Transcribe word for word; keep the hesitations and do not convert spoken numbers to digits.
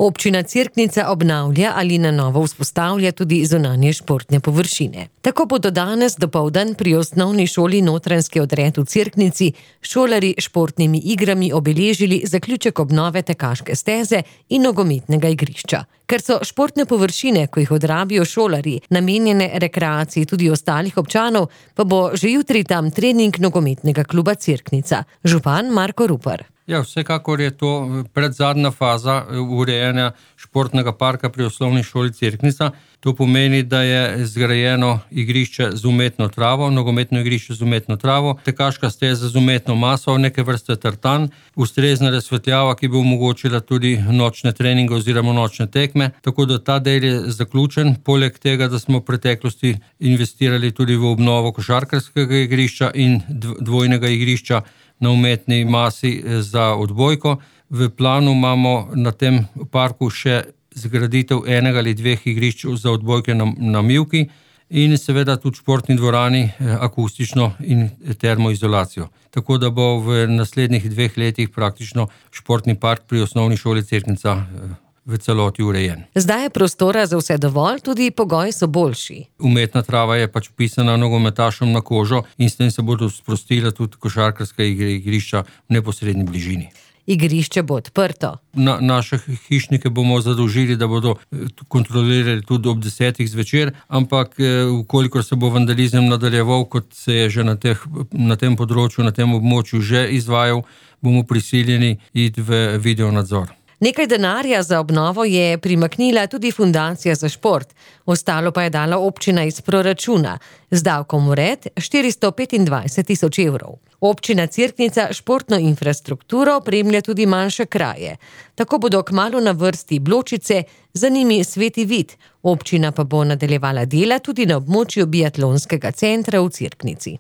Občina Cerknica obnavlja ali na novo vzpostavlja tudi zunanje športne površine. Tako bodo danes dopoldan pri osnovni šoli Notranjski odred v Cerknici šolarji športnimi igrami obeležili zaključek obnove tekaške steze in nogometnega igrišča. Ker so športne površine, ko jih odrabijo šolarji, namenjene rekreaciji tudi ostalih občanov, pa bo že jutri tam trening nogometnega kluba Cerknica. Župan Marko Rupar. Ja, vsekakor je to predzadnja faza urejanja športnega parka pri osnovni šoli Cerknica. To pomeni, da je zgrajeno igrišče z umetno travo, nogometno igrišče z umetno travo, tekaška steza z umetno maso, neke vrste tartan, ustrezna razsvetljava, ki bo omogočila tudi nočne treninge oziroma nočne tekme. Tako da ta del je zaključen. Poleg tega, da smo v preteklosti investirali tudi v obnovo košarkarskega igrišča in dvojnega igrišča na umetni masi za odbojko. V planu imamo na tem parku še zgraditev enega ali dveh igrišč za odbojke na, na mivki in seveda tudi športni dvorani akustično in termoizolacijo. Tako da bo v naslednjih dveh letih praktično športni park pri osnovni šoli Cerknica v celoti urejen. Zdaj je prostora za vse dovolj, tudi pogoji so boljši. Umetna trava je pač pisana nogometašom na kožo in s tem se bodo sprostila tudi košarkarska igrišča v neposredni bližini. Igrišče bo odprto. Na, naše hišnike bomo zadolžili, da bodo kontrolirali tudi ob desetih zvečer, ampak ukolikor se bo vandalizem nadaljeval, kot se je že na, teh, na tem področju, na tem območju že izvajal, bomo prisiljeni iti v videonadzor. Nekaj denarja za obnovo je primaknila tudi Fundacija za šport, ostalo pa je dala občina iz proračuna, z davkom vred štiristo petindvajset tisoč evrov. Občina Cerknica športno infrastrukturo opremlja tudi manjše kraje. Tako bodo kmalu na vrsti Bločice, za njimi Sveti Vid. Občina pa bo nadaljevala dela tudi na območju biatlonskega centra v Cerknici.